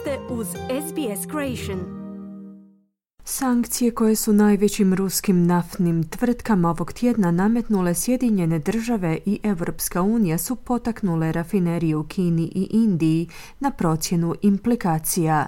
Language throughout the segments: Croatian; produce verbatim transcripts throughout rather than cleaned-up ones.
ste uz S B S Creation. Sankcije koje su najvećim ruskim naftnim tvrtkama ovog tjedna nametnule Sjedinjene države i Europska unija su potaknule rafinerije u Kini i Indiji na procjenu implikacija.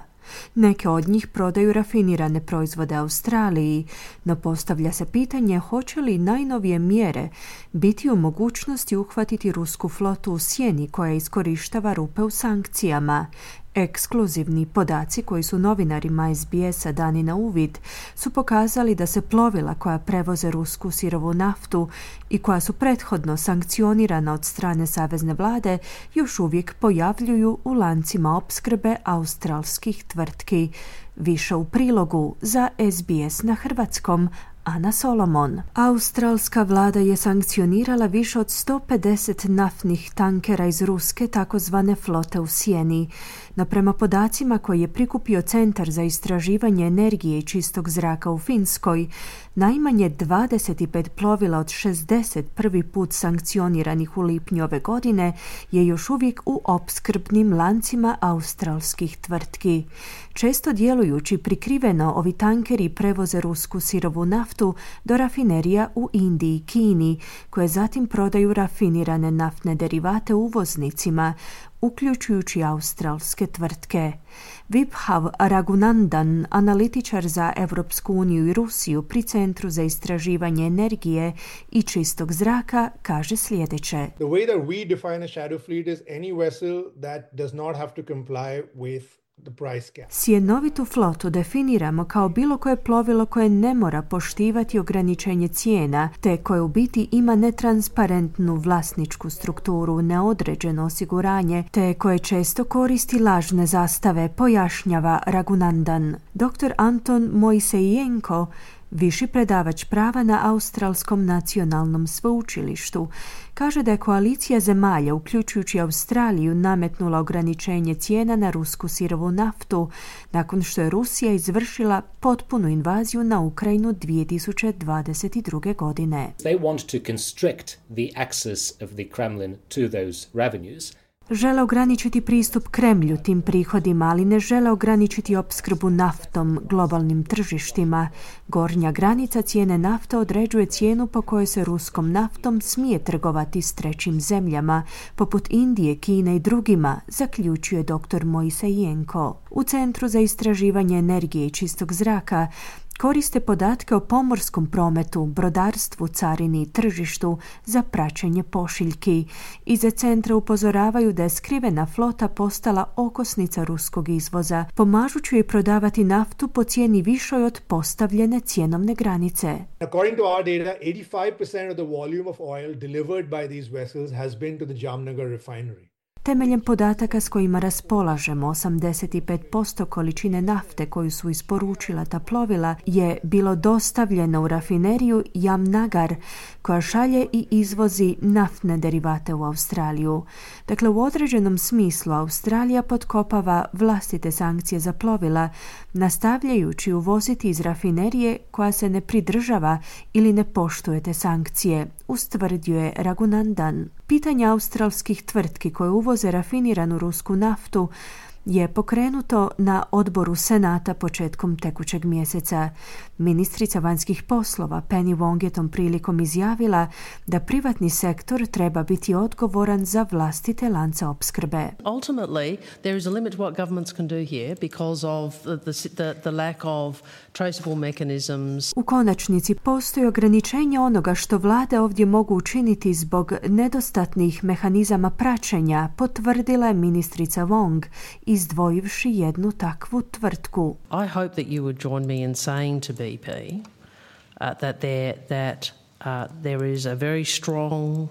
Neke od njih prodaju rafinirane proizvode Australiji, no postavlja se pitanje hoće li najnovije mjere biti u mogućnosti uhvatiti rusku flotu u sjeni koja iskorištava rupe u sankcijama. Ekskluzivni podaci koji su novinarima S B S-a dani na uvid su pokazali da se plovila koja prevoze rusku sirovu naftu i koja su prethodno sankcionirana od strane savezne vlade još uvijek pojavljuju u lancima opskrbe australskih tvrtki. Više u prilogu za S B S na hrvatskom. Ana Solomon. Australska vlada je sankcionirala više od sto pedeset naftnih tankera iz ruske takozvane flote u sjeni. No prema podacima koje je prikupio Centar za istraživanje energije i čistog zraka u Finskoj, najmanje dvadeset pet plovila od šezdeset prvi put sankcioniranih u lipnju ove godine je još uvijek u opskrbnim lancima australskih tvrtki. Često djelujući prikriveno, ovi tankeri prevoze rusku sirovu naftu do rafinerija u Indiji i Kini, koje zatim prodaju rafinirane naftne derivate uvoznicima, uključujući australske tvrtke. Vibhav Raghunandan, analitičar za Europsku uniju i Rusiju pri Centru za istraživanje energije i čistog zraka, kaže sljedeće. The way that we define a shadow fleet is any vessel that does not have to comply with Sjenovitu flotu definiramo kao bilo koje plovilo koje ne mora poštivati ograničenje cijena, te koje u biti ima netransparentnu vlasničku strukturu, neodređeno osiguranje, te koje često koristi lažne zastave, pojašnjava Raghunandan. doktor Anton Moisejenko, viši predavač prava na Australskom nacionalnom sveučilištu, kaže da je koalicija zemalja, uključujući Australiju, nametnula ograničenje cijena na rusku sirovu naftu nakon što je Rusija izvršila potpunu invaziju na Ukrajinu dvije tisuće dvadeset druge. godine. They want to constrict the access of the Kremlin to those revenues. Žele ograničiti pristup Kremlju tim prihodima, ali ne žele ograničiti opskrbu naftom globalnim tržištima. Gornja granica cijene nafte određuje cijenu po kojoj se ruskom naftom smije trgovati s trećim zemljama, poput Indije, Kine i drugima, zaključuje doktor Moisejenko. U Centru za istraživanje energije i čistog zraka koriste podatke o pomorskom prometu, brodarstvu, carini i tržištu za praćenje pošiljki. Iza centra upozoravaju da je skrivena flota postala okosnica ruskog izvoza, pomažući joj prodavati naftu po cijeni višoj od postavljene cjenovne granice. According to our data, eighty-five percent of the volume of oil delivered by these vessels has been to the Jamnagar refinery. Temeljem podataka s kojima raspolažemo, osamdeset pet posto količine nafte koju su isporučila ta plovila je bilo dostavljeno u rafineriju Jamnagar, koja šalje i izvozi naftne derivate u Australiju. Dakle, u određenom smislu Australija potkopava vlastite sankcije za plovila, nastavljajući uvoziti iz rafinerije koja se ne pridržava ili ne poštuje te sankcije, ustvrdio je Raghunandan. Pitanje australskih tvrtki koje uvoze rafiniranu rusku naftu je pokrenuto na odboru Senata početkom tekućeg mjeseca. Ministrica vanjskih poslova Penny Wong je tom prilikom izjavila da privatni sektor treba biti odgovoran za vlastite lance opskrbe. Ultimately, there is a limit what governments can do here because of the, the, the lack of traceable mechanisms. U konačnici postoji ograničenje onoga što vlade ovdje mogu učiniti zbog nedostatnih mehanizama praćenja, potvrdila je ministrica Wong, izdvojivši jednu takvu tvrtku. I hope that you would join me in saying to B P uh, that there that uh, there is a very strong uh,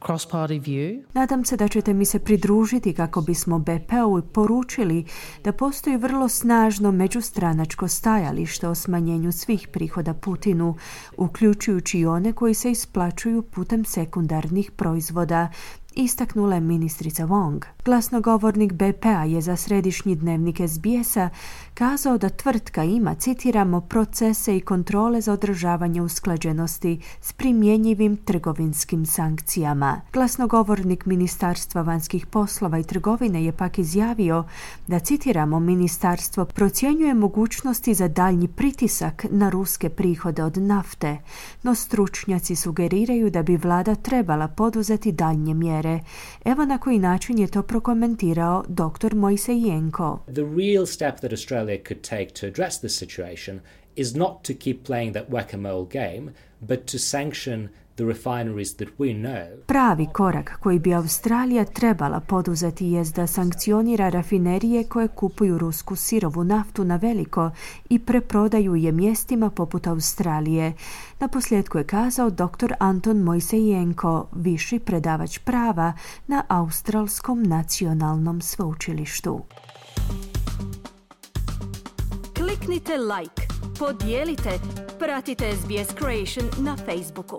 cross-party view. Nadam se da ćete mi se pridružiti kako bismo B P-u poručili da postoji vrlo snažno međustranačko stajalište o smanjenju svih prihoda Putinu, uključujući i one koji se isplaćuju putem sekundarnih proizvoda, istaknula je ministrica Wong. Glasnogovornik B P-a je za središnji dnevnik S B S-a kazao da tvrtka ima, citiramo, procese i kontrole za održavanje usklađenosti s primjenjivim trgovinskim sankcijama. Glasnogovornik Ministarstva vanjskih poslova i trgovine je pak izjavio da, citiramo, ministarstvo procjenjuje mogućnosti za daljnji pritisak na ruske prihode od nafte, no stručnjaci sugeriraju da bi vlada trebala poduzeti daljnje mjere. Evo na koji način je to prokomentirao doktor Moisejenko. The real step that Australia could take to address this situation is not to keep playing that whack-a-mole game, but to sanction the refineries that we know. Pravi korak koji bi Australija trebala poduzeti jest da sankcionira rafinerije koje kupuju rusku sirovu naftu na veliko i preprodaju je mjestima poput Australije. Na posljedku je kazao doktor Anton Moisejenko, viši predavač prava na Australskom nacionalnom sveučilištu. Kliknite like, podijelite, pratite S B S Creation na Facebooku.